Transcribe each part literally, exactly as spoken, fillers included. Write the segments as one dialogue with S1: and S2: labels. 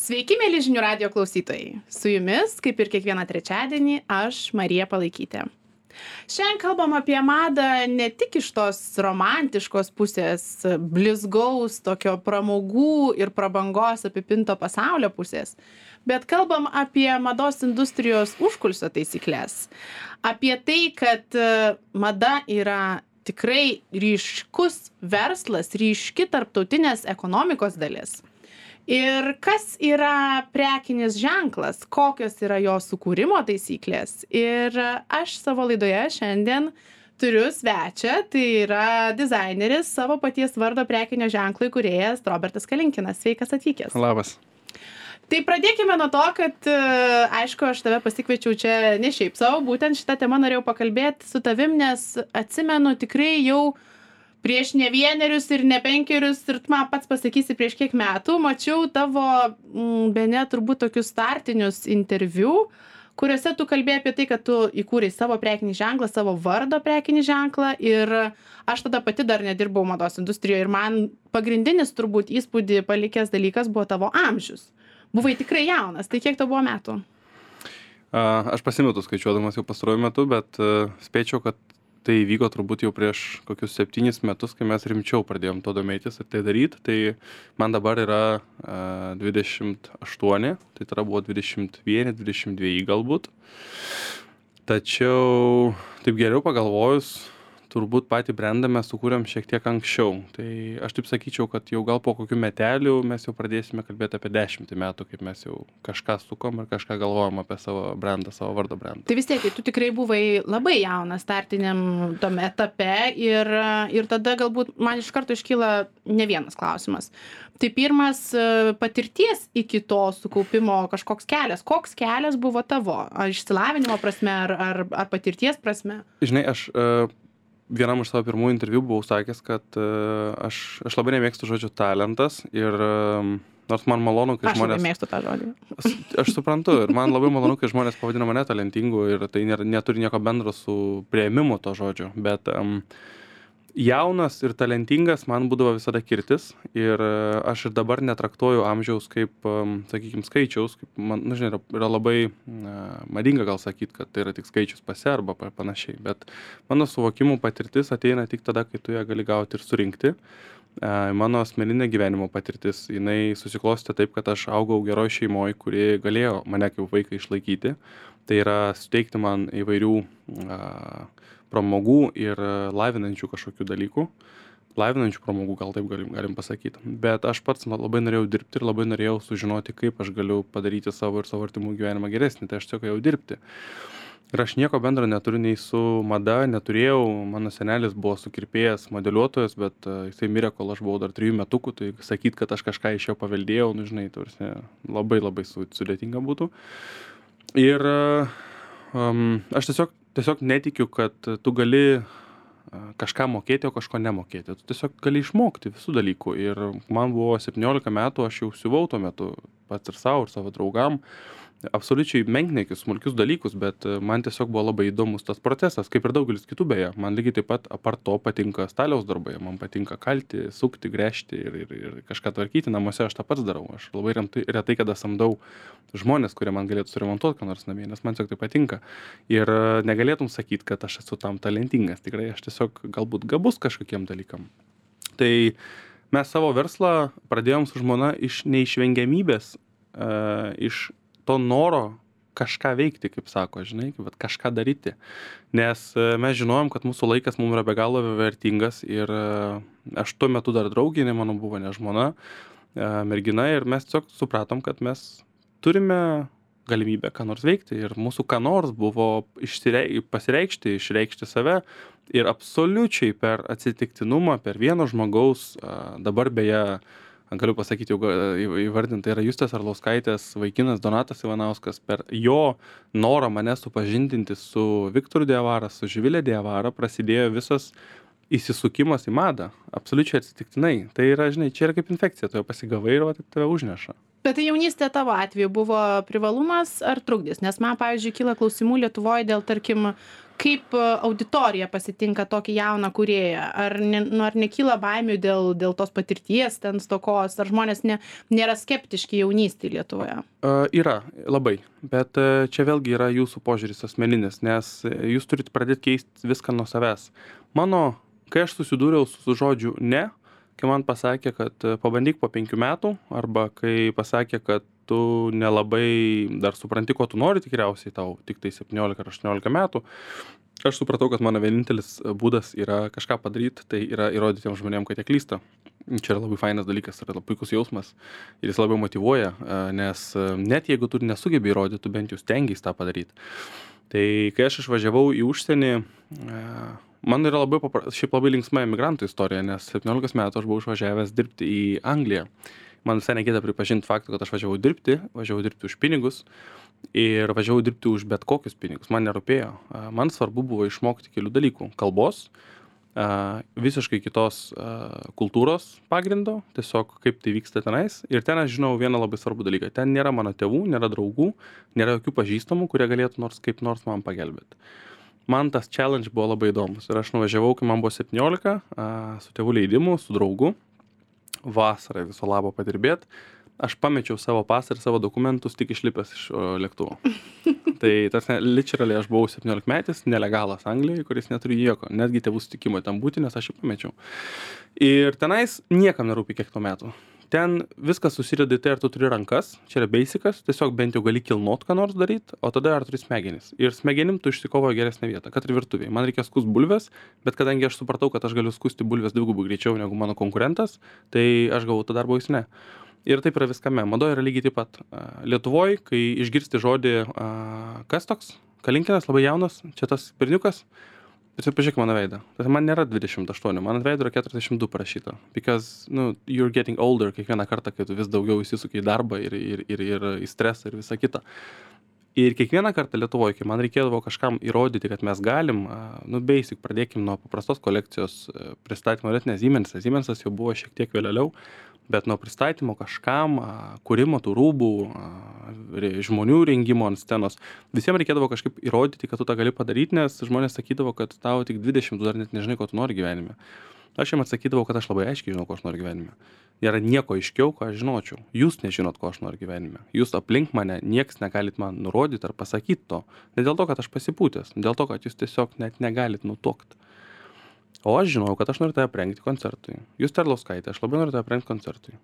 S1: Sveiki, mėly žinių radijo klausytojai. Su jumis, kaip ir kiekvieną trečiadienį, aš Marija Palaikytė. Šiandien kalbam apie madą ne tik iš tos romantiškos pusės, blizgaus, tokio pramogų ir prabangos apipinto pasaulio pusės, bet kalbam apie mados industrijos užkulsio taisyklės. Apie tai, kad mada yra tikrai ryškus verslas, ryški tarptautinės ekonomikos dalis. Ir kas yra prekinis ženklas, kokios yra jo sukūrimo taisyklės. Ir aš savo laidoje šiandien turiu svečią, tai yra dizaineris, savo paties vardo prekinio ženklo įkūrėjas Robertas Kalinkinas. Sveikas atvykęs.
S2: Labas.
S1: Tai pradėkime nuo to, kad, aišku, aš tave pasikviečiau čia ne šiaip savo, būtent šitą temą norėjau pakalbėti su tavim, nes atsimenu tikrai jau prieš ne vienerius ir ne penkerius, ir tu man pats pasakysi prieš kiek metų, mačiau tavo, m, bene turbūt tokius startinius interviu, kuriuose tu kalbėjai apie tai, kad tu įkūrei savo prekinį ženklą, savo vardo prekinį ženklą, ir aš tada pati dar nedirbau mados industrijoje ir man pagrindinis turbūt įspūdį palikęs dalykas buvo tavo amžius. Buvai tikrai jaunas, tai kiek tau buvo metų?
S2: A, aš pasimetu skaičiuodamas jau pastaruoju metu, bet uh, spėčiau, kad tai įvyko turbūt jau prieš kokius septynis metus, kai mes rimčiau pradėjom to domėtis ir tai daryti. Tai man dabar yra uh, dvidešimt aštuoni, tai tada buvo dvidešimt vienas, dvidešimt du galbūt. Tačiau taip geriau pagalvojus, turbūt patį brendą mes sukūrėm šiek tiek anksčiau. Tai aš taip sakyčiau, kad jau gal po kokių metelių mes jau pradėsime kalbėti apie dešimtį metų, kaip mes jau kažką sukom ir kažką galvojam apie savo brendą, savo vardo brendą.
S1: Tai vis tiek, tu tikrai buvai labai jaunas startiniam tom etape ir, ir tada galbūt man iš karto iškyla ne vienas klausimas. Tai pirmas, patirties iki to sukaupimo kažkoks kelias. Koks kelias buvo tavo? Ar išsilavinimo prasme, ar, ar, ar patirties prasme?
S2: Žinai, aš... Uh, Vienam iš savo pirmųjų interviu buvau sakęs, kad uh, aš, aš labai nemėgstu žodžio talentas ir uh, nors man malonu, kai
S1: aš
S2: žmonės...
S1: Aš nemėgstu tą žodį.
S2: Aš, aš suprantu ir man labai malonu, kai žmonės pavadina mane talentingu ir tai nėra, neturi nieko bendro su priėmimu to žodžio, bet um, jaunas ir talentingas man būdavo visada kirtis ir uh, aš ir dabar netraktuoju amžiaus kaip, um, sakykime, skaičiaus, kaip man, nu, žinai, yra, yra labai uh, madinga gal sakyti, kad tai yra tik skaičius pase arba panašiai, bet mano suvokimų patirtis ateina tik tada, kai tu ją gali gauti ir surinkti. Uh, mano asmeninė gyvenimo patirtis, jinai susiklostė taip, kad aš augau geroj šeimoje, kuri galėjo mane kaip vaiką išlaikyti. Tai yra suteikti man įvairių uh, pramogų ir lavinančių kažkokių dalykų. Lavinančių pramogų, gal taip galim, galim pasakyti. Bet aš pats labai norėjau dirbti ir labai norėjau sužinoti, kaip aš galiu padaryti savo ir savo artimų gyvenimą geresnį. Tai aš tiesiog jau dirbti. Ir aš nieko bendro neturiu nei su mada, neturėjau. Mano senelis buvo sukirpėjas, modeliuotojas, bet uh, jisai mirė, kol aš buvau dar trijų metukų. Tai sakyt, kad aš kažką iš jo paveldėjau, nu žinai, tarsi, labai labai sudėtinga būtų. Ir uh, um, aš tiesiog Tiesiog netikiu, kad tu gali kažką mokėti, o kažko nemokėti. Tu tiesiog gali išmokti visų dalykų. Ir man buvo septyniolika metų, aš jau siuvau tuo metu pats ir savo, ir savo draugam. Absoliučiai menkniekius, smulkius dalykus, bet man tiesiog buvo labai įdomus tas procesas, kaip ir daugelis kitų beje. Man lygiai taip pat apart to patinka staliaus darbai, man patinka kalti, sukti, gręžti ir, ir, ir kažką tvarkyti. Namuose aš tą pats darau. Aš labai remtai, retai kada samdau žmonės, kurie man galėtų suremontuoti ką nors namie, nes man tiesiog tai patinka. Ir negalėtum sakyti, kad aš esu tam talentingas. Tikrai aš tiesiog galbūt gabus kažkokiem dalykam. Tai mes savo verslą pradėjom su žmona iš neišvengiamybės, uh, iš to noro kažką veikti, kaip sako, žinai, bet kažką daryti. Nes mes žinojom, kad mūsų laikas mums yra be galo vertingas ir aš tuo metu dar drauginė, mano buvo ne žmona, mergina ir mes tiesiog supratom, kad mes turime galimybę ką nors veikti ir mūsų ką nors buvo išsirei, pasireikšti, išreikšti save ir absoliučiai per atsitiktinumą, per vieno žmogaus, dabar beje, galiu pasakyti, jau įvardinta yra Justės Arlauskaitės vaikinas Donatas Ivanauskas. Per jo norą mane supažindinti su Viktoru Diavara, su Živilė Diavara prasidėjo visas įsisukimas į madą. Absoliučiai atsitiktinai. Tai yra, žinai, čia yra kaip infekcija, tu jau pasigavai ir va, taip tave užneša.
S1: Bet tai jaunystė tavo atveju buvo privalumas ar trukdis? Nes man, pavyzdžiui, kyla klausimų Lietuvoje dėl, tarkim, kaip auditorija pasitinka tokį jauną kūrėją? Ar, ne, nu, ar nekyla baimių dėl, dėl tos patirties ten stokos? Ar žmonės ne, nėra skeptiški jaunystėje Lietuvoje?
S2: Uh, yra, labai. Bet uh, čia vėlgi yra jūsų požiūris asmeninis, nes jūs turite pradėti keisti viską nuo savęs. Mano, kai aš susidūriau su žodžiu ne, kai man pasakė, kad pabandyk po penkių metų, arba kai pasakė, kad tu nelabai dar supranti, ko tu nori, tikriausiai tau tik tai septyniolika ar aštuoniolika metų, aš supratau, kad mano vienintelis būdas yra kažką padaryti, tai yra įrodyti tiem žmonėm, kad jie klysta. Čia yra labai fainas dalykas, yra labai puikus jausmas ir jis labai motyvuoja, nes net jeigu tu nesugebi įrodyti, tu bent jau stengiais tą padaryti. Tai kai aš išvažiavau į užsienį, man yra labai, papra... šiaip labai linksma emigrantų istorija, nes septyniolikos metų aš buvau išvažiavęs dirbti į Angliją. Man visai negėda pripažinti faktą, kad aš važiavau dirbti, važiavau dirbti už pinigus ir važiavau dirbti už bet kokius pinigus. Man nerūpėjo. Man svarbu buvo išmokti kelių dalykų. Kalbos, visiškai kitos kultūros pagrindo, tiesiog kaip tai vyksta tenais. Ir ten aš žinau vieną labai svarbų dalyką. Ten nėra mano tėvų, nėra draugų, nėra jokių pažįstamų, kurie galėtų nors kaip nors man pagelbėti. Man tas challenge buvo labai įdomus. Ir aš nuvažiavau, kai man buvo septyniolika, su tėvų leidimu, su draugu. Vasarą viso labo padirbėt. Aš pamečiau savo pasą ir savo dokumentus tik išlipęs iš lėktuvo. Tai tas literally aš buvau septyniolikmetis, nelegalas Anglijoje, kuris neturi jokio, netgi tėvų sutikimo ten būti, nes aš jį pamečiau. Ir tenais niekam nerūpi kiek to metų. Ten viskas susideda į tai, ar tu turi rankas, čia yra basicas, tiesiog bent jau gali kilnot ką nors daryti, o tada ar turi smegenis. Ir smegenim tu išsikovoji geresnę vietą, kad ir virtuvėje. Man reikia skust bulves, bet kadangi aš supratau, kad aš galiu skusti bulves dvigubai greičiau negu mano konkurentas, tai aš gavau tą darbo jis ne. Ir taip yra viskame. Madoje yra lygiai taip pat. Lietuvoje, kai išgirsti žodį, kas toks, Kalinkinas, labai jaunas, čia tas berniukas, bet pažiūrėk mano veidą. Tai man nėra dvidešimt aštuoni, man ant veido yra keturiasdešimt du parašyta. Because, nu, you're getting older kiekvieną kartą, kai tu vis daugiau įsisuki į darbą ir, ir, ir, ir į stresą ir visą kitą. Ir kiekvieną kartą Lietuvoje, kai man reikėdavo kažkam įrodyti, kad mes galim, nu, basic, pradėkim nuo paprastos kolekcijos pristatymo, net ne Siemensas. Siemensas jau buvo šiek tiek vėliau, bet nuo pristatymo kažkam, kūrimo tų rūbų, žmonių rengimo ant scenos, visiems reikėdavo kažkaip įrodyti, kad tu tą gali padaryti, nes žmonės sakydavo, kad tau tik dvidešimt, tu dar net nežinai, ko tu nori gyvenime. Aš jiems atsakydavau, kad aš labai aiškiai žinau, ko aš noriu gyvenime. Nėra nieko aiškiau, ko aš žinočiau. Jūs nežinot, ko aš noriu gyvenime. Jūs aplink mane, nieks negalit man nurodyti ar pasakyti to. Ne dėl to, kad aš pasipūtęs, dėl to, kad jūs tiesiog net negalit nutuokti. O aš žinau, kad aš noriu tave aprengti koncertui. Jūs Terlauskaitė, aš labai noriu tave aprengti koncertui.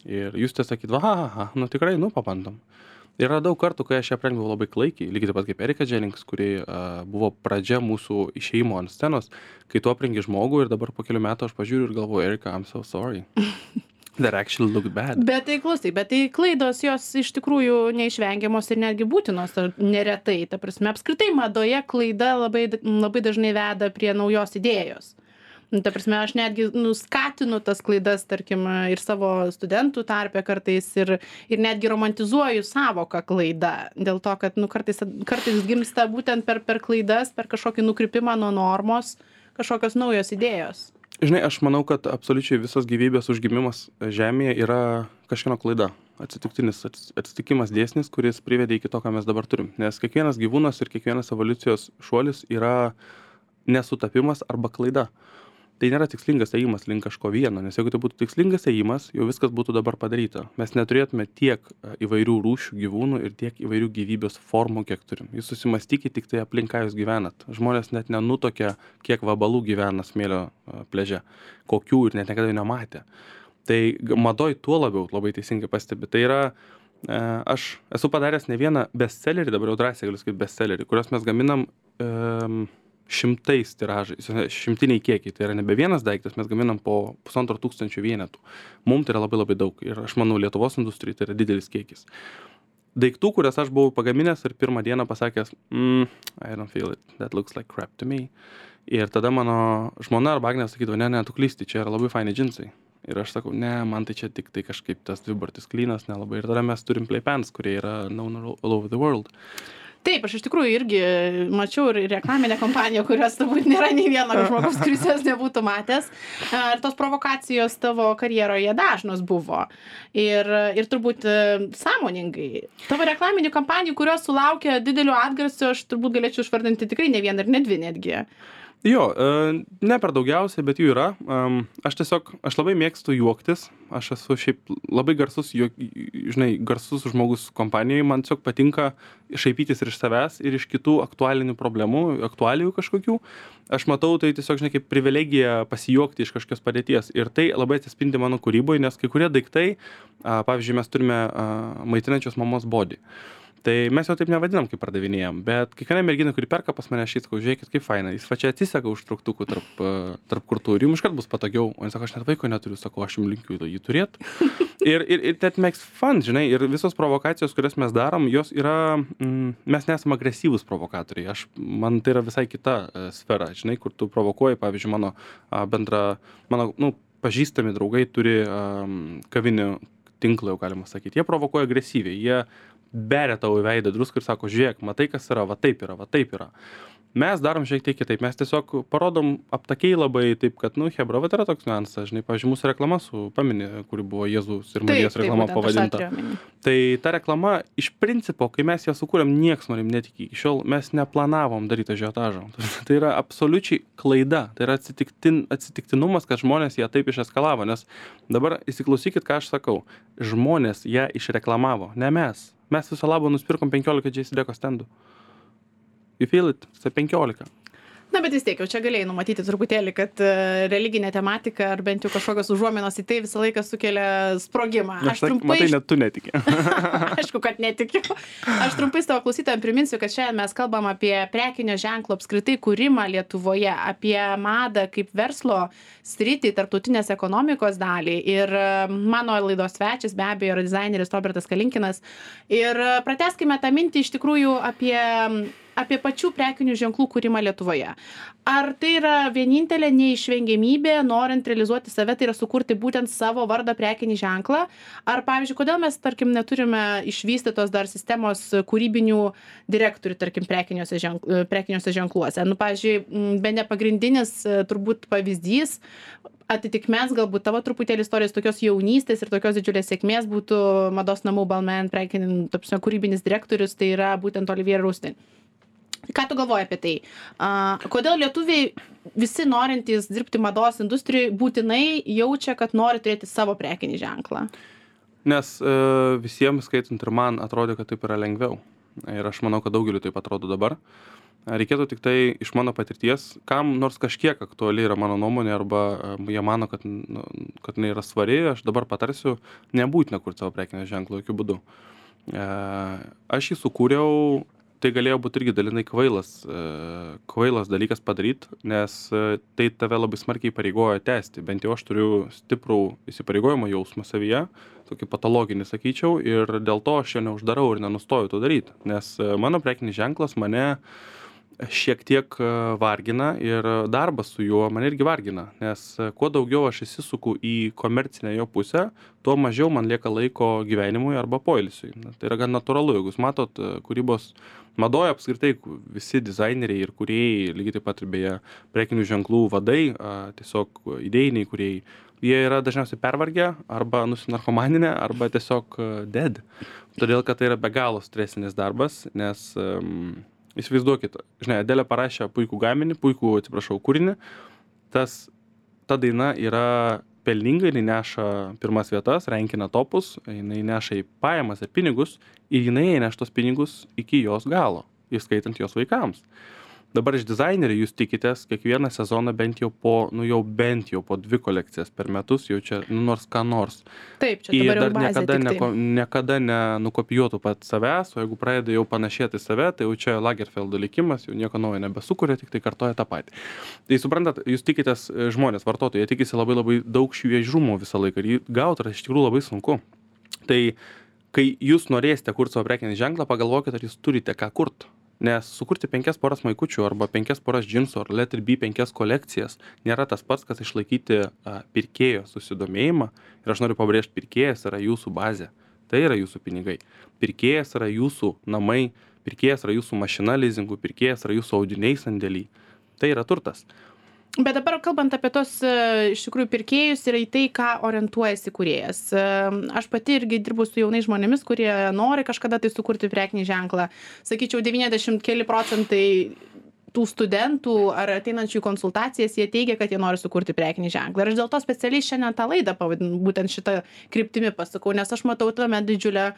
S2: Ir jūs te sakyt, va, ha, ha, nu tikrai, nu papandom. Yra daug kartų, kai aš ją aprengdavau labai klaikiai, lygiai taip pat kaip Erika Jennings, kuri uh, buvo pradžia mūsų išėjimo ant scenos, kai tu aprengi žmogų ir dabar po kelių metų aš pažiūriu ir galvoju, Erika, I'm so sorry. That actually looked bad.
S1: Bet tai klausai, bet tai klaidos jos iš tikrųjų neišvengiamos ir netgi būtinos neretai. Ta prasme, apskritai madoje klaida labai, labai dažnai veda prie naujos idėjos. Ta prasme, aš netgi nu, skatinu tas klaidas, tarkim, ir savo studentų tarpe kartais ir, ir netgi romantizuoju savoką klaida. Dėl to, kad nu, kartais, kartais gimsta būtent per, per klaidas, per kažkokį nukrypimą nuo normos, kažkokios naujos idėjos.
S2: Žinai, aš manau, kad absoliučiai visos gyvybės užgimimas Žemėje yra kažkieno klaida. Atsitiktinis atsitikimas dėsnis, kuris privedė iki to, ką mes dabar turim. Nes kiekvienas gyvūnas ir kiekvienas evoliucijos šuolis yra nesutapimas arba klaida. Tai nėra tikslingas ėjimas link kažko vieno, nes jeigu tai būtų tikslingas ėjimas, jau viskas būtų dabar padaryta. Mes neturėtume tiek įvairių rūšių gyvūnų ir tiek įvairių gyvybės formų, kiek turim. Jūs susimastykite tik tai aplink, ką jūs gyvenat. Žmonės net nenutokia, kiek vabalų gyvena smėlio pliaže, kokių ir net niekada nematė. Tai madoj tuo labiau labai teisingai pastebi. Tai yra, aš esu padaręs ne vieną bestsellerį, dabar jau drąsiai galiu sakyti bestsellerį, kuriuos mes gaminam um, šimtais tiražais, šimtiniai kiekiai, tai yra nebe vienas daiktas, mes gaminam po pusantro tūkstančio vienetų. Mums tai yra labai labai daug ir aš manau, Lietuvos industrijai tai yra didelis kiekis. Daiktų, kurias aš buvau pagaminęs ir pirmą dieną pasakęs, mm, I don't feel it, that looks like crap to me. Ir tada mano žmona arba Agnė sakydavo, ne, ne, tu klysti, čia yra labai faini džinsai. Ir aš sakau, ne, man tai čia tik tai kažkaip tas dvibartis klynas nelabai. Ir tada mes turim playpants, kurie yra known all over the world.
S1: Taip, aš iš tikrųjų irgi mačiau ir reklaminę kompaniją, kurios turbūt nėra nei vieno žmogaus, kuris jos nebūtų matęs. Ir tos provokacijos tavo karjeroje dažnos buvo. Ir, ir turbūt sąmoningai. Tavo reklaminių kampanijų, kurios sulaukia didelio atgarsio, aš turbūt galėčiau išvardinti tikrai ne vieną ir ne dvi netgi.
S2: Jo, ne per daugiausiai, bet jų yra. Aš tiesiog, aš labai mėgstu juoktis. Aš esu šiaip labai garsus, žinai, garsus žmogus kompanijoje. Man tiesiog patinka šaipytis ir iš savęs, ir iš kitų aktualinių problemų, aktualijų kažkokių. Aš matau tai tiesiog, žinai, kaip privilegija pasijuokti iš kažkokios padėties. Ir tai labai atsispindi mano kūryboje, nes kai kurie daiktai, pavyzdžiui, mes turime maitinančios mamos body. Tai mes jau taip nevadinam, kaip pardavinėjam, bet kiekviena mergina, kuri perka pas mane, aš sakau, žiūrėkit, kaip faina, jis va čia atsiseka užtrauktukų tarp, tarp kurtų ir jums iškart bus patogiau, o jis sako, aš net vaiko neturiu, sako, aš jums linkiu jį turėt. Ir, ir, ir that makes fun, žinai, ir visos provokacijos, kurias mes darom, jos yra, mm, mes nesame agresyvūs provokatoriai, aš, man tai yra visai kita e, sfera, žinai, kur tu provokuoji, pavyzdžiui, mano a, bendra, mano, nu, pažįstami draugai turi um, kavinių tinklą, jau galima sakyti, jie provokuoja agresyviai, jie beria tau į veidą druską ir sako, žiūrėk, matai, kas yra, va taip yra, va taip yra. Mes darom šiek tiek kitaip, mes tiesiog parodom aptakiai labai taip, kad, nu, hebra, va yra toks niuansas, žinai, pavyzdžiui, mūsų reklama su, pamini, kuri buvo Jėzus ir Marijos reklama
S1: taip,
S2: pavadinta. Tai ta reklama, iš principo, kai mes ją sukūrėm, nieks manim netikė. Iki šiol mes neplanavom daryti ažiotažo. Tai yra absoliučiai klaida, tai yra atsitiktin, atsitiktinumas, kad žmonės ją taip išeskalavo, nes dabar įsiklausykit, ką aš sakau, žmonės ją išreklamavo, ne mes. Mes viso labo nusipirkom penkiolika J C Deco stendų. You feel it? Tai penkiolika.
S1: Na, bet vis tiek, jau čia galėjai numatyti truputėlį, kad uh, religinė tematika ar bent jau kažkokios užuominos į tai visą laiką sukelia sprogimą.
S2: Aš trumpai... Matai, net tu netiki.
S1: Aišku, kad netikiu. Aš trumpai savo klausytojams priminsiu, kad šiandien mes kalbam apie prekinio ženklo apskritai kūrimą Lietuvoje, apie madą kaip verslo sritį, tarptautinės ekonomikos dalį. Ir uh, mano laidos svečias be abejo yra dizaineris Robertas Kalinkinas. Ir uh, pratęskime tą mintį iš tikrųjų apie... apie pačių prekinių ženklų kūrimą Lietuvoje. Ar tai yra vienintelė neišvengiamybė, norint realizuoti save, tai yra sukurti būtent savo vardą prekinį ženklą? Ar, pavyzdžiui, kodėl mes, tarkim, neturime išvystytos dar sistemos kūrybinių direktorių, tarkim, prekiniuose, ženkl, prekiniuose ženkluose? Nu, pavyzdžiui, bene pagrindinis turbūt pavyzdys, atitikmens galbūt tavo truputėlį istorijos tokios jaunystės ir tokios didžiulės sėkmės būtų mados namų Balmain prekinis, tapsime, kūrybinis direktorius, tai yra būtent Olivier Rousteing. Ką tu galvoji apie tai? A, kodėl lietuviai visi norintys dirbti mados industrijoje būtinai jaučia, kad nori turėti savo prekinį ženklą?
S2: Nes e, visiems, skaitant ir man, atrodo, kad taip yra lengviau. Ir aš manau, kad daugeliu taip atrodo dabar. Reikėtų tik tai iš mano patirties, kam nors kažkiek aktuali yra mano nuomonė, arba jie mano, kad, nu, kad jinai yra svari, aš dabar patarsiu, nebūtina kurti savo prekinio ženklo jokių būdų. E, aš jį sukūriau, tai galėjo būti irgi dalinai kvailas, kvailas dalykas padaryti, nes tai tave labai smarkiai įpareigoja tęsti. Bent jau aš turiu stiprų įsipareigojimo jausmą savyje, tokį patologinį, sakyčiau, ir dėl to aš jo neuždarau ir nenustoju to daryti. Nes mano prekinis ženklas mane šiek tiek vargina ir darbas su juo mane irgi vargina, nes kuo daugiau aš įsisuku į komercinę jo pusę, tuo mažiau man lieka laiko gyvenimui arba poilsiui. Tai yra gan natūralu, jeigu jūs matot kūrybos madoje apskritai visi dizaineriai ir kūrėjai, lygiai taip pat ir beje prekinių ženklų vadai, tiesiog idėjiniai kūrėjai, jie yra dažniausiai pervargę arba nusinarkomaninę, arba tiesiog dead. Todėl, kad tai yra be galo stresinis darbas, nes um, įsivaizduokit, žinai, Adelė parašė puikų gaminį, puikų, atsiprašau, kūrinį, tas, ta daina yra pelninga, jinai neša pirmas vietas, renkina topus, jinai neša į pajamas ir pinigus, ir jinai neš tos pinigus iki jos galo, įskaitant jos vaikams. Dabar iš dizainerių jūs tikitės kiekvieną sezoną bent jau po, nu jau bent jau po dvi kolekcijas per metus, jau čia, nu nors ką nors.
S1: Taip, čia dabar jau bazė
S2: niekada,
S1: tik
S2: neko, niekada nenukopijuotų pat savęs, o jeigu pradeda jau panašėti save, tai jau čia Lagerfeldo likimas, jau nieko naujo nebesukuria, tik tai kartoja tą patį. Tai suprantat, jūs tikitės žmonės, vartotojai, jie tikisi labai labai daug šviežumo visą laiką ir jį gauti yra iš tikrųjų labai sunku. Tai kai jūs norėsite kurti savo prekinį ženklą, pagalvokite, ar jūs turite ką kurti. Nes sukurti penkias poras maikučių arba penkias poras džinsų ar let ir be penkias kolekcijas nėra tas pats, kas išlaikyti a, pirkėjo susidomėjimą. Ir aš noriu pabrėžti, pirkėjas yra jūsų bazė. Tai yra jūsų pinigai. Pirkėjas yra jūsų namai, pirkėjas yra jūsų mašina lizingų, pirkėjas yra jūsų audiniai sandėly. Tai yra turtas.
S1: Bet dabar kalbant apie tos iš tikrųjų pirkėjus ir į tai, ką orientuojasi kūrėjas. Aš pati irgi dirbu su jaunais žmonėmis, kurie nori kažkada tai sukurti prekinį ženklą. Sakyčiau, devyniasdešimt keli procentai tų studentų ar ateinančių į konsultacijas, jie teigia, kad jie nori sukurti prekinį ženklą. Ir aš dėl to specialiai šiandien tą laidą pavadinu, būtent šitą kryptimį pasakau, nes aš matau tame didžiulę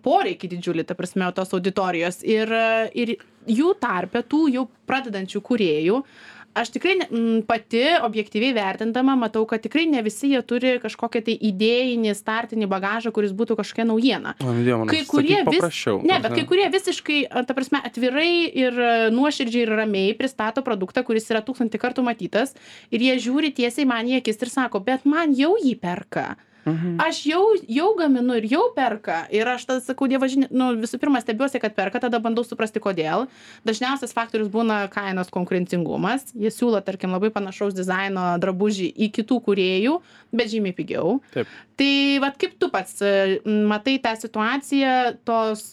S1: poreikį didžiulį, ta prasme, tos auditorijos. Ir, ir jų tarpe, tų jau pradedančių kūrėjų, aš tikrai m, pati objektyviai vertindama matau, kad tikrai ne visi jie turi kažkokią tai idėjinį, startinį bagažą, kuris būtų kažkokia naujiena.
S2: Man,
S1: kai kurie vis,
S2: paprasčiau.
S1: Ne, bet kai kurie visiškai, ta prasme, atvirai ir nuoširdžiai ir ramiai pristato produktą, kuris yra tūkstantį kartų matytas ir jie žiūri tiesiai man į akis ir sako, bet man jau jį perka. Mhm. Aš jau, jau gaminu ir jau perka. Ir aš tada sakau, dievaži, nu, visų pirma stebiuosi, kad perka, tada bandau suprasti, kodėl. Dažniausias faktorius būna kainos konkurencingumas. Jie siūlo, tarkim, labai panašaus dizaino drabužį į kitų kūrėjų, bet žymiai pigiau.
S2: Taip.
S1: Tai vat kaip tu pats matai tą situaciją, tos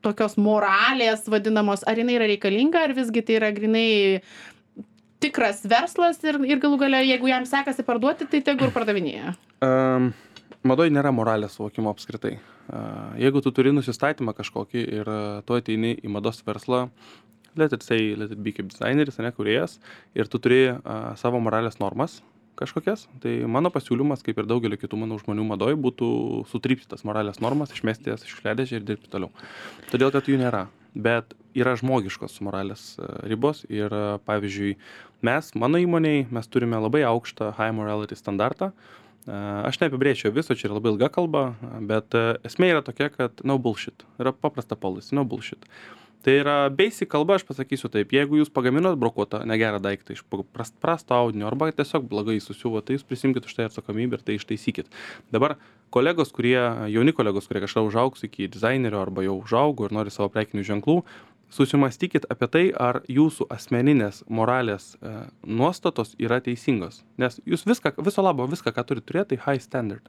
S1: tokios moralės vadinamos, ar jinai yra reikalinga, ar visgi tai yra grinai tikras verslas ir, ir galų galia, jeigu jam sekasi parduoti, tai tegu ir pardavinėja.
S2: Um. Madoj nėra moralės suvokimo apskritai. Jeigu tu turi nusistatymą kažkokį ir tu ateini į mados verslą, let it say, let it be kaip dizaineris, ne kūrėjas, ir tu turi uh, savo moralės normas kažkokias, tai mano pasiūlymas, kaip ir daugelio kitų mano žmonių madoj, būtų sutrypti tas moralės normas, išmesti jas iš šiukšliadėžę ir dirbti toliau. Todėl, kad jų nėra. Bet yra žmogiškos moralės ribos ir, pavyzdžiui, mes, mano įmonėj, mes turime labai aukštą high morality standartą. Aš neapibrėčiau viso, čia yra labai ilga kalba, bet esmė yra tokia, kad no bullshit. Yra paprasta policy, no bullshit. Tai yra basic kalba, aš pasakysiu taip, jeigu jūs pagaminot brokuotą negerą daiktą iš prasto audinio arba tiesiog blogai susiuvo, tai jūs prisimkit už tai atsakomybę ir tai ištaisykit. Dabar kolegos, kurie, jauni kolegos, kurie kažką užaugs iki dizainerio arba jau užaugo ir nori savo prekinių ženklų, susimastykit apie tai, ar jūsų asmeninės moralės e, nuostatos yra teisingos. Nes jūs viską, viso labo, viską, ką turi turėti, tai high standard.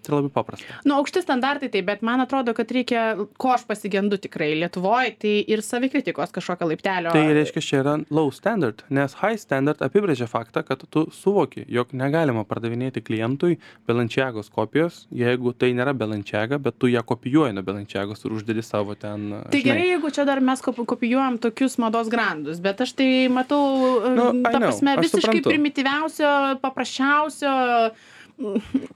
S2: Tai labai paprasta.
S1: Nu, aukšti standartai tai, bet man atrodo, kad reikia, ko aš pasigendu tikrai Lietuvoje, tai ir savikritikos kažkokio laiptelio.
S2: Tai reiškia, čia yra low standard, nes high standard apibrėžia faktą, kad tu suvoki, jog negalima pardavinėti klientui Balenciagos kopijos, jeigu tai nėra Balenciaga, bet tu ją kopijuoji nuo Balenciagos ir uždedi savo ten.
S1: Tai žinai. Gerai, jeigu čia dar mes kopijuojam tokius mados grandus, bet aš tai matau,
S2: nu,
S1: ta prasme,
S2: know,
S1: visiškai
S2: suprantu.
S1: Primityviausio, paprasčiausio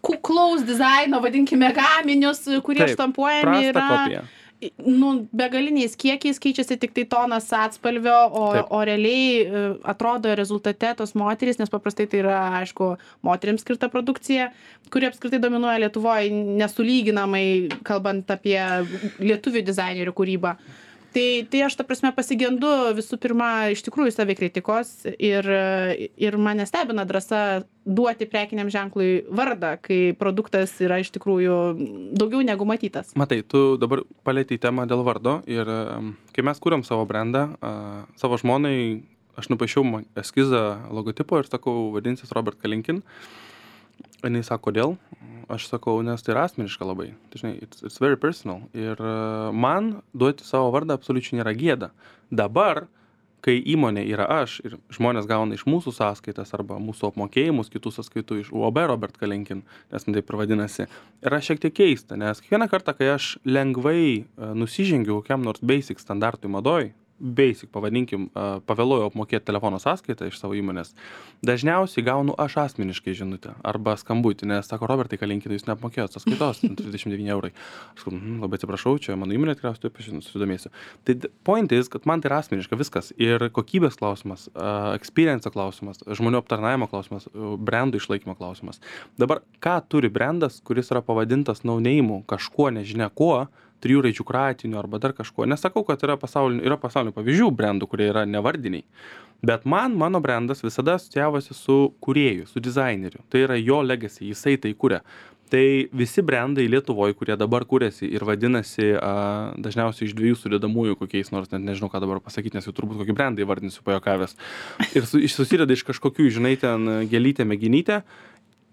S1: kuklaus dizaino, vadinkime, gaminius, kurie
S2: Taip,
S1: štampuojami yra
S2: kopija.
S1: Nu, begaliniais kiekiais, keičiasi tik tai tonas atspalvio, o, o realiai atrodo rezultate tos moterys, nes paprastai tai yra, aišku, moterims skirta produkcija, kuri apskritai dominuoja Lietuvoje nesulyginamai, kalbant apie lietuvių dizainerių kūrybą. Tai, tai aš, ta prasme, pasigendu visų pirma iš tikrųjų savikritikos ir, ir mane stebina drąsa duoti prekiniam ženklui vardą, kai produktas yra iš tikrųjų daugiau negu matytas.
S2: Matai, tu dabar palietei temą dėl vardo ir um, kai mes kūrėm savo brandą, uh, savo žmonai, aš nupaišiau eskizą logotipo ir sakau, vadinsis Robert Kalinkin. Jis sako, kodėl? Aš sakau, nes tai yra asmeniška labai. Tai, žinai, it's, it's very personal. Ir uh, man duoti savo vardą absoliučiai nėra gėda. Dabar, kai įmonė yra aš ir žmonės gauna iš mūsų sąskaitas arba mūsų apmokėjimus, kitų sąskaitų iš U A B Robert Kalinkin, nes man taip ir vadinasi, yra šiek tiek keista, nes kiekvieną kartą, kai aš lengvai uh, nusižengiu kokiam nors basic standartui madoj, basic, pavadinkim, pavėluoju apmokėti telefono sąskaitą iš savo įmonės, dažniausiai gaunu aš asmeniškai žinutę arba skambutį, nes sako, Robertai Kalinkinai, jūs neapmokėjot sąskaitos, trisdešimt devyni eurai. Aš sakau, hm, labai atsiprašau, čia mano įmonė tikriausiai taip susidomėsiu. Tai point is, kad man tai yra asmeniška viskas ir kokybės klausimas, experience klausimas, žmonių aptarnavimo klausimas, brandų išlaikymo klausimas. Dabar, ką turi brandas, kuris yra pavadintas no-name, kažkuo, nežinia kuo, trijų raidžių kratiniu arba dar kažkuo. Nesakau, kad yra pasaulinių, yra pasaulinių pavyzdžių brandų, kurie yra nevardiniai. Bet man, mano brandas visada asociavosi su kūrėju, su dizaineriu. Tai yra jo legacy, jisai tai kuria. Tai visi brandai Lietuvoje, kurie dabar kuriasi ir vadinasi a, dažniausiai iš dviejų sudedamųjų kokiais nors, net nežinau, ką dabar pasakyti, nes jau turbūt kokį brandą įvardinsiu pajokavęs. Ir su, susideda iš kažkokių, žinai, ten gėlytę, mėginytę.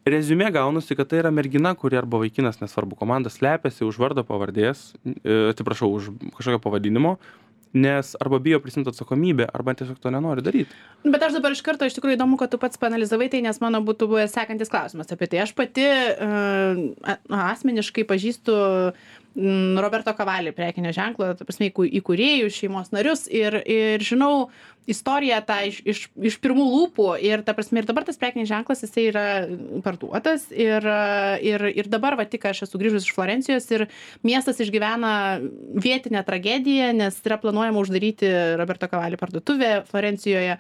S2: Reziumė gaunasi, kad tai yra mergina, kuri arba vaikinas, nesvarbu, komanda slepiasi už vardo pavardės, atsiprašau, už kažkokio pavadinimo nes arba bijo prisiimti atsakomybę, arba tiesiog to nenori daryti.
S1: Bet aš dabar iš karto, iš tikrųjų įdomu, kad tu pats panalizavai tai, nes mano būtų buvęs sekantis klausimas apie tai. Aš pati uh, asmeniškai pažįstu mm, Roberto Cavalli prekinio ženklo, ta prasme, įkūrėjų, šeimos narius ir, ir žinau istoriją tą iš, iš, iš pirmų lūpų ir ta prasme, ir dabar tas prekinis ženklas, jisai yra parduotas ir, ir, ir dabar, va, tik aš esu grįžus iš Florencijos ir miestas išgyvena vietinę tragediją, nes yra planuojama uždaryti Roberto Cavalli parduotuvę Florencijoje,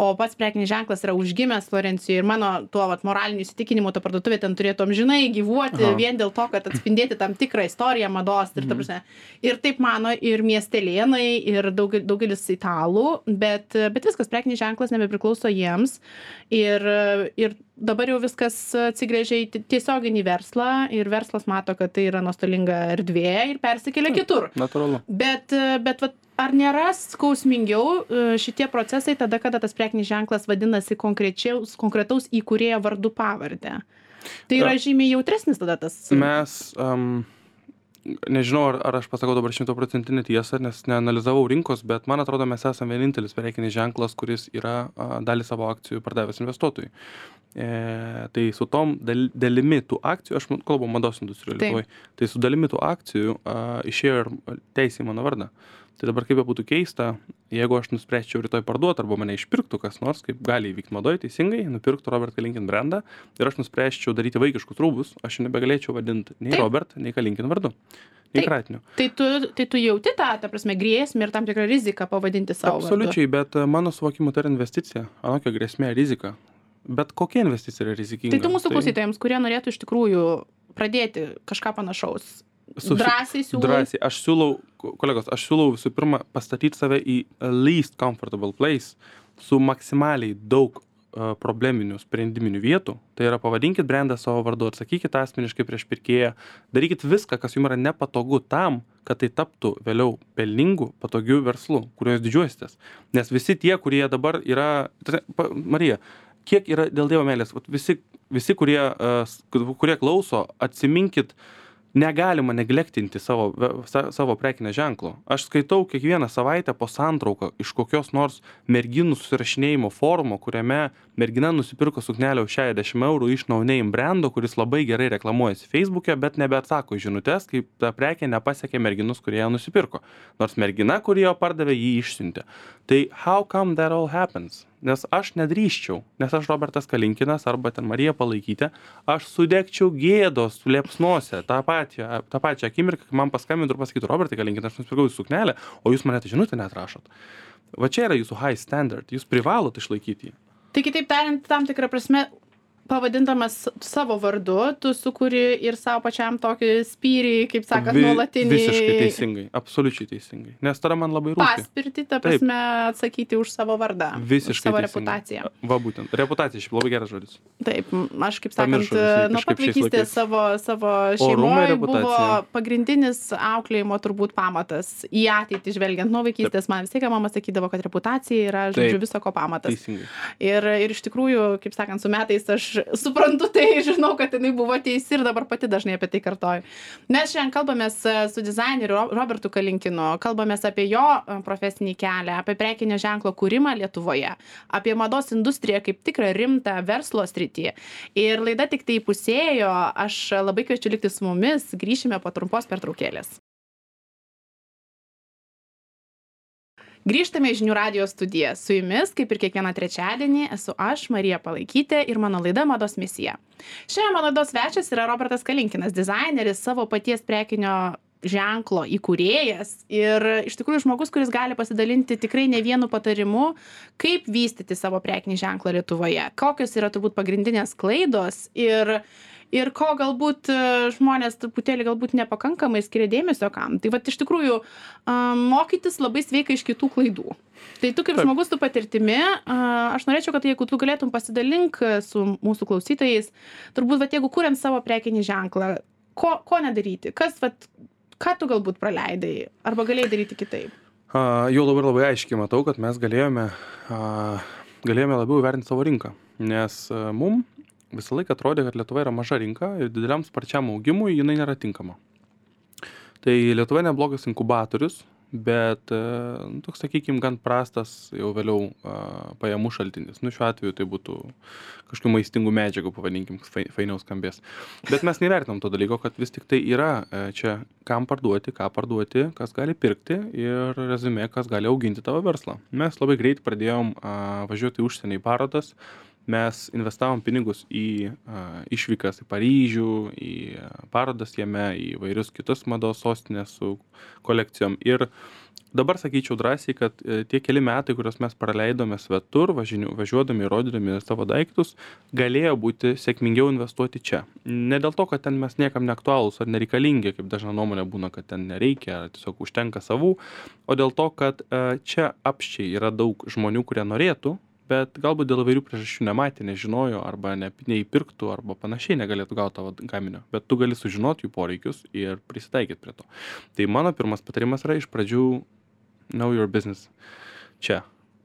S1: o pats prekinis ženklas yra užgimęs Florencijoje ir mano tuo vat, moraliniu įsitikinimu ta parduotuvė ten turėtų amžinai gyvuoti. Aha. Vien dėl to, kad atspindėti tam tikrą istoriją mados ir, ta prasme, ir taip mano ir miestelėnai ir daug, daugelis italų, bet, bet viskas, prekinis ženklas nebepriklauso jiems ir, ir dabar jau viskas atsigrėžia į tiesioginį verslą ir verslas mato, kad tai yra nuostolinga erdvė ir persikelia kitur.
S2: Natūralu.
S1: Bet, bet vat, ar nėra skausmingiau šitie procesai tada, kada tas prekinis ženklas vadinasi konkretaus įkūrėjo vardu pavardę? Tai yra žymiai jautresnis tada tas.
S2: Mes, um, nežinau, ar, ar aš pasakau dabar šimtaprocentinę tiesą, nes neanalizavau rinkos, bet man atrodo, mes esame vienintelis prekinis ženklas, kuris yra a, dalį savo akcijų pardavęs investuotojui. E, tai su tom dal, dalimi tų akcijų, aš kalbu mados industrijoje Lietuvoje, tai su dalimi tų akcijų a, išėjo ir teisė į mano vardą. Tai dabar kaip būtų keista, jeigu aš nuspręsčiau rytoj parduoti arba mane išpirktų kas nors, kaip gali įvykti madoje teisingai, nupirktų Robert Kalinkin brandą ir aš nuspręsčiau daryti vaikiškus rūbus, aš nebegalėčiau vadinti nei Taip. Robert, nei Kalinkin vardu, nei Kratiniu.
S1: Tai tu, tai tu jauti tą, ta prasme, grėsmę ir tam tikrą riziką pavadinti savo
S2: Absoliučiai,
S1: vardu.
S2: Bet mano suvokimu tai yra investicija, anokia grėsmė, rizika. Bet kokia investicija yra rizikinga?
S1: Tai tu mūsų klausytojams, kurie norėtų iš tikrųjų pradėti kažką panašaus, Su, drąsiai siūlau.
S2: Drąsiai. Aš siūlau, kolegos, aš siūlau visų pirma pastatyti save į least comfortable place su maksimaliai daug uh, probleminių sprendiminių vietų. Tai yra pavadinkit brandą savo vardu, atsakykit asmeniškai prieš pirkėją, darykit viską, kas jums yra nepatogu tam, kad tai taptų vėliau pelningų, patogių verslų, kuriuos didžiuositės. Nes visi tie, kurie dabar yra... Marija, kiek yra dėl Dievo meilės? Visi, visi kurie, uh, kurie klauso, atsiminkit, negalima neglektinti savo, savo prekinę ženklo. Aš skaitau kiekvieną savaitę po santrauką iš kokios nors merginų susirašinėjimo forumo, kuriame mergina nusipirko suknelę už šešiasdešimt eurų iš no name brando, kuris labai gerai reklamuojasi Facebook'e, bet nebeatsako į žinutes, kaip ta prekė nepasiekė merginus, kurie ją nusipirko. Nors mergina, kurie jo pardavė, jį išsiuntė. Tai how come that all happens? Nes aš nedrįščiau, nes aš Robertas Kalinkinas arba ten Marija Palaikytė, aš sudegčiau gėdos liepsnose tą pačią, tą pačią akimirką, kai man paskambintų ir pasakytų, Robertai Kalinkinas, aš nusipirkau jūsų suknelę, o jūs mane tai žinutę net rašot. Va čia yra jūsų high standard, jūs privalot išlaikyti jį.
S1: Tai kitaip tariant, tam tikrą prasme, pavadindamas savo vardu, tu sukuri ir savo pačiam tokį spyrį, kaip sakant, Vi, nuolatinį...
S2: Visiškai teisingai, absoliučiai teisingai. Nes tada man labai rūpi.
S1: Paspirti, ta prasme, Taip. atsakyti už savo vardą.
S2: Visiškai
S1: savo
S2: teisingai.
S1: reputaciją.
S2: Va būtent. Reputacija šiaip labai geras žodis.
S1: Taip, aš kaip sakant, nuo pat vaikystės savo, savo šeimoje buvo pagrindinis auklėjimo turbūt pamatas. Į ateitį žvelgiant nuo vaikystės, Taip. man vis tiek mama sakydavo, kad reputacija yra, žodžiu, viso ko pamatas.
S2: Teisingai.
S1: Ir, ir iš tikrųjų, kaip sakant, su metais aš suprantu tai, žinau, kad jinai buvo teisi ir dabar pati dažnai apie tai kartoju. Mes šiandien kalbamės su dizaineriu Robertu Kalinkinu, kalbamės apie jo profesinį kelią, apie prekinio ženklo kūrimą Lietuvoje, apie mados industriją kaip tikrą rimtą verslo sritį. Ir laida tik tai įpusėjo, aš labai kviečiu likti su mumis, grįšime po trumpos pertraukėlės. Grįžtame į Žinių radijo studiją. Su jumis, kaip ir kiekvieną trečiadienį, esu aš, Marija Palaikytė ir mano laida Mados misija. Šiandien mano laidos svečias yra Robertas Kalinkinas, dizaineris, savo paties prekinio ženklo įkūrėjas ir iš tikrųjų žmogus, kuris gali pasidalinti tikrai ne vienu patarimu, kaip vystyti savo prekinį ženklą Lietuvoje, kokios yra turbūt pagrindinės klaidos ir ir ko galbūt žmonės truputėlį galbūt nepakankamai skiria dėmesio kam. Tai vat iš tikrųjų mokytis labai sveika iš kitų klaidų. Tai tu kaip Taip. žmogus tu patirtimi, aš norėčiau, kad jeigu tu galėtum pasidalink su mūsų klausytojais, turbūt vat jeigu kuriant savo prekinį ženklą, ko, ko nedaryti, kas vat, ką tu galbūt praleidai, arba galėjai daryti kitaip?
S2: Uh, jau labai labai aiškiai matau, kad mes galėjome, uh, galėjome labiau įvertinti savo rinką, nes uh, mum visą laiką atrodė, kad Lietuva yra maža rinka ir dideliam sparčiam augimui jinai nėra tinkama. Tai Lietuva neblogas inkubatorius, bet e, nu, toks, sakykime, gan prastas jau vėliau a, pajamų šaltinis. Nu, šiuo atveju tai būtų kažkokių maistingų medžiagų, pavadinkim, fai- fainiau skambės. Bet mes nevertinam to dalyko, kad vis tik tai yra e, čia kam parduoti, ką parduoti, kas gali pirkti ir rezumė, kas gali auginti tavo verslą. Mes labai greit pradėjom a, važiuoti į užsienį į parodas. Mes investavom pinigus į a, išvykas į Paryžių, į a, parodas jame, į vairius kitus mados sostinės su kolekcijom. Ir dabar sakyčiau drąsiai, kad e, tie keli metai, kuriuos mes praleidome svetur, važiniu, važiuodami ir rodydami savo daiktus, galėjo būti sėkmingiau investuoti čia. Ne dėl to, kad ten mes niekam neaktualūs ar nereikalingi, kaip dažna nuomonė būna, kad ten nereikia, ar tiesiog užtenka savų, o dėl to, kad e, čia apščiai yra daug žmonių, kurie norėtų, bet galbūt dėl įvairių priežasčių nematė, nežinojo, arba ne, neįpirktų, arba panašiai negalėtų gauti tavo gaminio. Bet tu gali sužinoti jų poreikius ir prisitaikyti prie to. Tai mano pirmas patarimas yra iš pradžių know your business. Čia.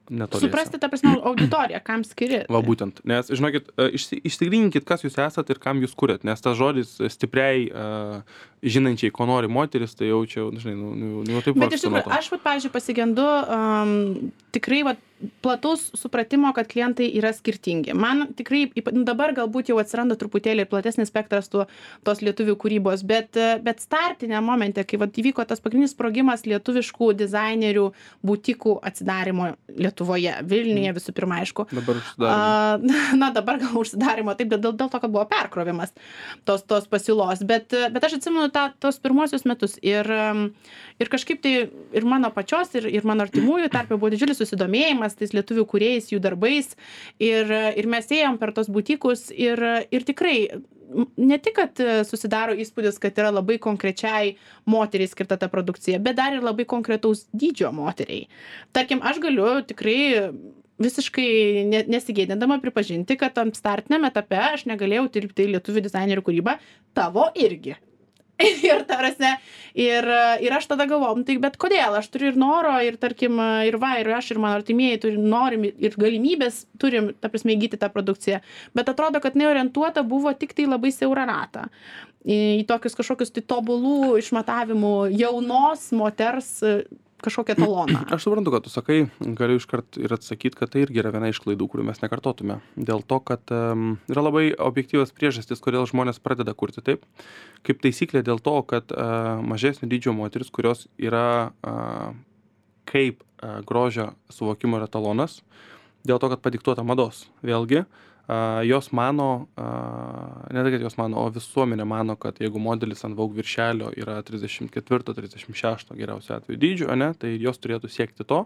S2: Netoliese.
S1: Suprasti, ta prasme, auditoriją, kam skiri.
S2: Va būtent, nes, žinokit, e, išsi- išsigryninkit, kas jūs esat ir kam jūs kuriat, nes tas žodis stipriai uh, žinančiai, ko nori moteris, tai jau čia, žinai, nu, nu, nu taip
S1: Bet iš
S2: vargstu nuo
S1: tikrųjų,
S2: to.
S1: aš, vat, pavyzdžiui, pasigendu um, tikrai vat, plataus supratimo, kad klientai yra skirtingi. Man tikrai, ypa- nu, dabar galbūt jau atsiranda truputėlį platesnis spektras tų, tos lietuvių kūrybos, bet, e, bet startinė momente, kai vat, įvyko tas pagrindinis sprogimas lietuviškų dizainerių butikų atsidarimo Lietuvoje, Vilniuje visų pirma, aišku.
S2: Dabar užsidarėm.
S1: A, na, dabar gal užsidarimo, taip, dėl, dėl to, kad buvo perkrovimas tos, tos pasiūlos, bet, bet aš atsimenu tą, tos pirmuosius metus ir, um, ir kažkaip tai ir mano pačios, ir, ir mano artimųjų tarpe buvo didžiulis susidomėjimas tais lietuvių kūrėjais, jų darbais ir, ir mes ėjom per tos butikus ir, ir tikrai m, ne tik, kad e, susidaro įspūdis, kad yra labai konkrečiai moteriai skirta ta produkcija, bet dar ir labai konkretaus dydžio moteriai. Tarkim, aš galiu tikrai visiškai ne, nesigėdindama pripažinti, kad tam startiniam etape aš negalėjau tilpti į lietuvių dizainerių kūrybą, tavo irgi. Ir ta prasme, ir, ir aš tada galvom, tai bet kodėl, aš turiu ir noro, ir tarkim, ir va, ir aš, ir mano artimieji turim, norim, ir galimybės turim, ta prasme, įgyti tą produkciją. Bet atrodo, kad neorientuota buvo tik tai labai siaurą ratą. Į, į tokius kažkokius tai tobulų išmatavimų jaunos moters e, kažkokią taloną.
S2: Aš suprantu, kad tu sakai, galiu iškart ir atsakyti, kad tai irgi yra viena iš klaidų, kurių mes nekartotume. Dėl to, kad um, yra labai objektyvios priežastys, kodėl žmonės pradeda kurti taip. Kaip taisyklė dėl to, kad uh, mažesnio dydžio moteris, kurios yra uh, kaip uh, grožio suvokimo yra talonas, dėl to, kad padiktuota mados. Vėlgi, uh, jos mano, uh, ne tai, kad jos mano, o visuomenė mano, kad jeigu modelis ant Vogue viršelio yra trisdešimt ketvirto trisdešimt šešto geriausio atveju dydžio, ane, tai jos turėtų siekti to.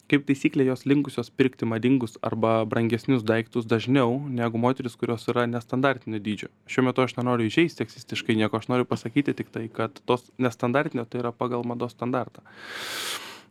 S2: Kaip taisyklė, jos linkusios pirkti madingus arba brangesnius daiktus dažniau negu moteris, kurios yra nestandartinio dydžio. Šiuo metu aš nenoriu įžeisti seksistiškai nieko, aš noriu pasakyti tik tai, kad tos nestandartinio tai yra pagal mados standartą.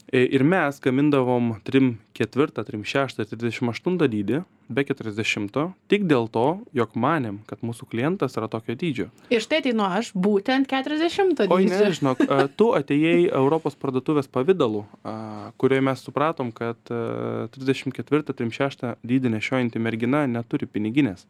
S2: Ir mes gamindavom trim ketvirtą, trim šeštą ir trisdešimt aštuntą dydį, be keturiasdešimto, tik dėl to, jog manėm, kad mūsų klientas yra tokio dydžio.
S1: Ir štai ateinu aš būtent keturiasdešimto
S2: Oi,
S1: dydžio.
S2: ne, žinok, a, tu atėjai Europos parduotuvės pavidalu, a, kurioje mes supratom, kad a, trisdešimt ketvirtą, trisdešimt šeštą dydį nešiojanti mergina neturi piniginės.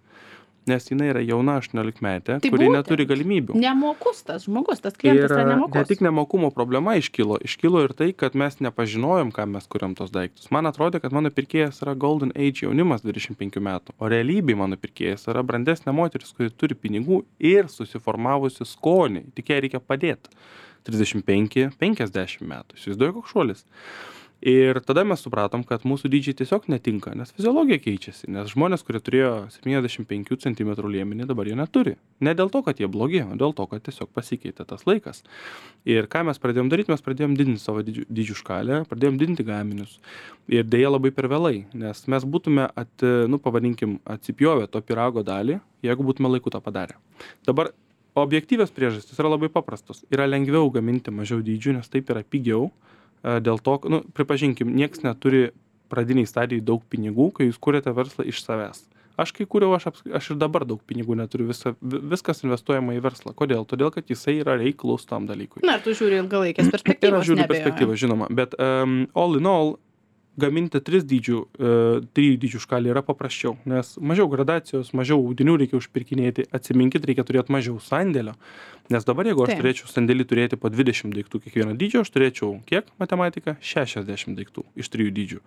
S2: Nes jinai yra jauna aštuoniolikmetė,
S1: Tai
S2: kuri
S1: būtent.
S2: neturi galimybių.
S1: Nemokus tas žmogus, tas klientas yra
S2: ne
S1: nemokus.
S2: tik nemokumo problema iškilo, iškilo ir tai, kad mes nepažinojom, kam mes kuriam tos daiktus. Man atrodė, kad mano pirkėjas yra Golden Age jaunimas dvidešimt penkių metų, o realybėj mano pirkėjas yra brandesnė moteris, kuri turi pinigų ir susiformavusi skonį, tik jai reikia padėti. trisdešimt penki penkiasdešimt metų. Įsivaizduoju, koks šuolis. Ir tada mes supratom, kad mūsų dydžiai tiesiog netinka, nes fiziologija keičiasi, nes žmonės, kurie turėjo septyniasdešimt penkių centimetrų liemenį, dabar jie neturi. Ne dėl to, kad jie blogi, o dėl to, kad tiesiog pasikeitė tas laikas. Ir ką mes pradėjom daryti, mes pradėjom didinti savo dydžių, dydžių škalę, pradėjom didinti gaminius. Ir dėja labai per vėlai, nes mes būtume, at, nu, pavadinkim, atsipjovę to pyrago dalį, jeigu būtume laiku tą padarę. Dabar objektyvios priežastys yra labai paprastos. Yra lengviau gaminti mažiau dydžių, nes taip yra pigiau. Dėl to, nu, pripažinkim, nieks neturi pradiniai stadijai daug pinigų, kai jūs kuriate verslą iš savęs. Aš kai kūriau, aš, apsk- aš ir dabar daug pinigų neturiu, visa, vi- viskas investuojama į verslą. Kodėl? Todėl, kad jisai yra reiklus tam dalykui.
S1: Na, ir tu žiūri ilgalaikės
S2: Ir
S1: perspektyvos.
S2: aš žiūriu
S1: neabejoju.
S2: perspektyvą, žinoma. Bet um, all in all, gaminti tris dydžių, e, trijų dydžių škalį yra paprasčiau, nes mažiau gradacijos, mažiau audinių reikia užpirkinėti, atsiminkit, reikia turėti mažiau sandėlio, nes dabar jeigu aš
S1: Taip.
S2: turėčiau sandėlį turėti po dvidešimt daiktų kiekvieno dydžio, aš turėčiau kiek matematika? šešiasdešimt daiktų iš trijų dydžių,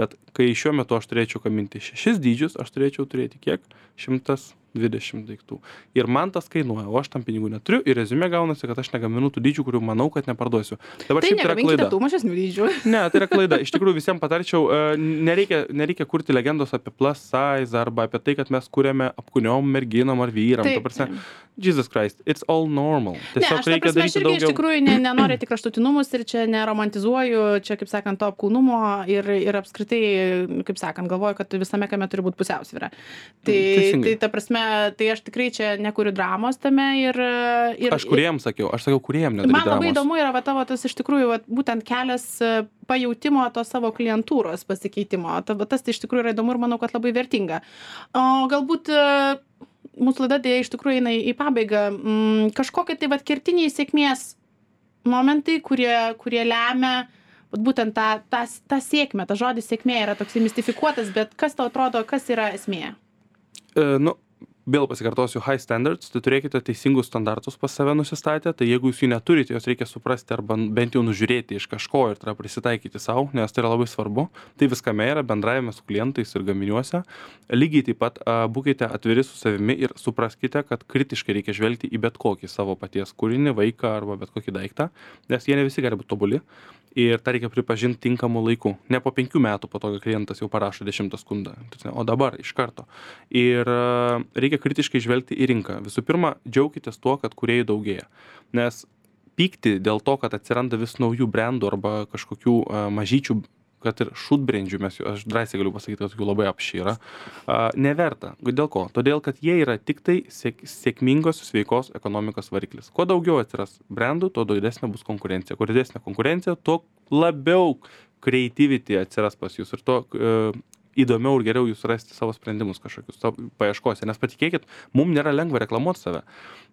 S2: bet kai šiuo metu aš turėčiau gaminti šešis dydžius, aš turėčiau turėti kiek? šimtas dvidešimt daiktų. Ir man tas kainuoja, o aš tam pinigų neturiu ir reziumė gaunasi, kad aš negaminu tų dydžių, kurių manau, kad neparduosiu. Dabar
S1: Tai
S2: šiaip tai yra
S1: negaminkite
S2: klaida.
S1: tų mažesnių dydžių.
S2: Ne, tai yra klaida. Iš tikrųjų visiems patarčiau, e, nereikia, nereikia kurti legendos apie plus size arba apie tai, kad mes kuriame apkūniom merginom ar vyram.
S1: Taip,
S2: Ta prasme,
S1: taip.
S2: Jesus Christ, it's all normal.
S1: Ne,
S2: Tiesiog
S1: aš ta
S2: reikia
S1: prasme, aš
S2: daryti
S1: irgi iš
S2: daugiau.
S1: tikrųjų ne, nenoriu tik kraštutinumus ir čia neromantizuoju, čia, kaip sakant, to apkūnumo ir, ir apskritai, kaip sakant, galvoju, kad visame kame turi būti pusiausvyra. Tai,
S2: Teisingai.
S1: tai ta prasme, tai aš tikrai čia nekuriu dramos tame ir... ir
S2: Aš kuriem sakiau, aš sakiau kuriem
S1: Man
S2: nedaryti
S1: labai
S2: dramos.
S1: įdomu yra va, tavo tas iš tikrųjų va, būtent kelias e, pajautimo to savo klientūros pasikeitimo. Ta, va, tas tai iš tikrųjų yra įdomu ir manau, kad labai vertinga. O galbūt e, mūsų laida dėja iš tikrųjų eina į pabaigą. Mm, kažkokie tai va, kertiniai sėkmės momentai, kurie, kurie lemia vat, būtent tą, tą, tą sėkmę. Ta žodis sėkmė yra toks mistifikuotas, bet kas tau atrodo, kas yra esmė?
S2: E, nu, vėl pasikartosiu, high standards, tai turėkite teisingus standartus pas save nusistatę, tai jeigu jūs jų neturite, jos reikia suprasti arba bent jau nužiūrėti iš kažko ir tada prisitaikyti savo, nes tai yra labai svarbu. Tai viskame yra bendravime su klientais ir gaminiuose. Lygiai taip pat a, būkite atviri su savimi ir supraskite, kad kritiškai reikia žvelgti į bet kokį savo paties kūrinį, vaiką arba bet kokį daiktą, nes jie ne visi gali būti tobuli. Ir tą reikia pripažinti tinkamu laiku. Ne po penkių metų po to, kai klientas jau parašo dešimtą skundą, o dabar iš karto. Ir a, reikia kritiškai žvelgti į rinką. Visų pirma, džiaukitės tuo, kad kūrėjų daugėja. Nes pykti dėl to, kad atsiranda vis naujų brandų arba kažkokių a, mažyčių, kad ir šutbrendžių, mes jų, aš drąsiai galiu pasakyti, kad jų labai apši yra, a, neverta. Dėl ko? Todėl, kad jie yra tik tai sėk, sėkmingos, sveikos ekonomikos variklis. Kuo daugiau atsiras brandų, tuo didesnė bus konkurencija. Kuo didesnė konkurencija, tuo labiau creativity atsiras pas jūs ir tuo e, įdomiau ir geriau jūs rasti savo sprendimus kažkokius savo paieškose. Nes patikėkit, mums nėra lengva reklamuoti save.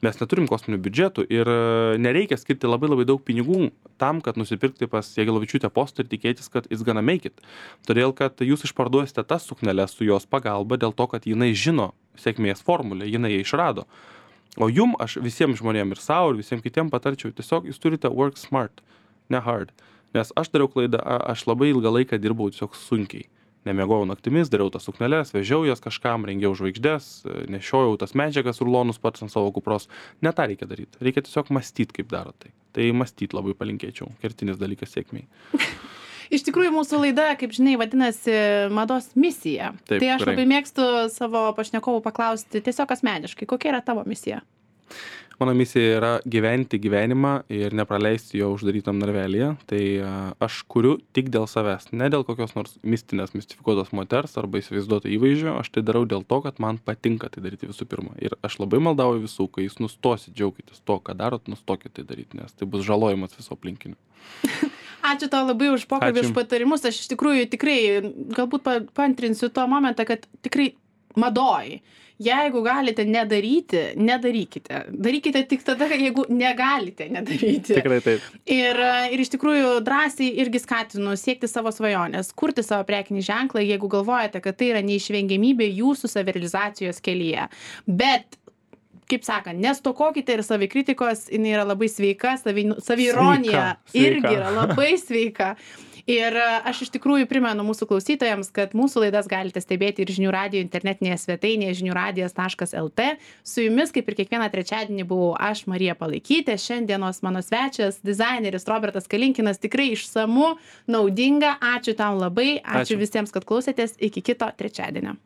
S2: Mes neturim kosminių biudžetų ir e, nereikia skirti labai labai daug pinigų tam, kad nusipirkti pas Jagelavičiūtę postą ir tikėtis, kad it's gonna make it. Todėl, kad jūs išparduosite tas sukneles su jos pagalba dėl to, kad jinai žino sėkmės formulę, jinai ją išrado. O jum aš visiems žmonėms ir savo ir visiems kitiems patarčiau, tiesiog jūs turite work smart, ne hard. Nes aš dariau klaidą, a- aš labai ilgą laiką dirbau tiesiog sunkiai. Nemiegojau naktimis, dariau tas sukneles, vežiau jas kažkam, rengiau žvaigždės, nešiojau tas medžiagas rulonus pats ant savo kupros. Ne tą reikia daryti. Reikia tiesiog mąstyti, kaip daro tai. Tai mąstyti labai palinkėčiau. Kertinis dalykas sėkmiai.
S1: Iš tikrųjų, mūsų laida, kaip žinai, vadinasi mados misija.
S2: Taip,
S1: tai aš
S2: gerai.
S1: labai mėgstu savo pašnekovų paklausti tiesiog asmeniškai, kokia yra tavo misija?
S2: Mano misija yra gyventi gyvenimą ir nepraleisti jo uždarytam narvelyje. Tai a, aš kuriu tik dėl savęs, ne dėl kokios nors mistinės, mistifikuotos moters arba įsivaizduoto įvaizdžio. Aš tai darau dėl to, kad man patinka tai daryti visų pirma. Ir aš labai maldauju visų, kai jūs nustosit džiaugitės to, ką darot, nustokit tai daryti, nes tai bus žalojimas viso aplinkinių.
S1: Ačiū tau labai už pokalbį,
S2: Ačiū.
S1: už patarimus. Aš iš tikrųjų tikrai, galbūt pa- paantrinsiu to momentą, kad tikrai madoj. Jeigu galite nedaryti, nedarykite. Darykite tik tada, jeigu negalite nedaryti.
S2: Tikrai taip.
S1: Ir, ir iš tikrųjų drąsiai irgi skatinu siekti savo svajonės, kurti savo prekinį ženklą, jeigu galvojate, kad tai yra neišvengiamybė jūsų savirealizacijos kelyje. Bet, kaip sakant, nestokokite ir savikritikos, jinai yra labai sveika, savi, saviironija
S2: Sveika, sveika.
S1: irgi yra labai sveika. Ir aš iš tikrųjų primenu mūsų klausytojams, kad mūsų laidas galite stebėti ir Žinių radijo internetinėje svetainėje žinių radijas taškas el tė. Su jumis, kaip ir kiekvieną trečiadienį, buvau aš, Marija Palaikytė. Šiandienos mano svečias, dizaineris Robertas Kalinkinas. Tikrai išsamu, naudinga. Ačiū tau labai. Ačiū,
S2: Ačiū.
S1: visiems, kad klausėtės. Iki kito trečiadienio.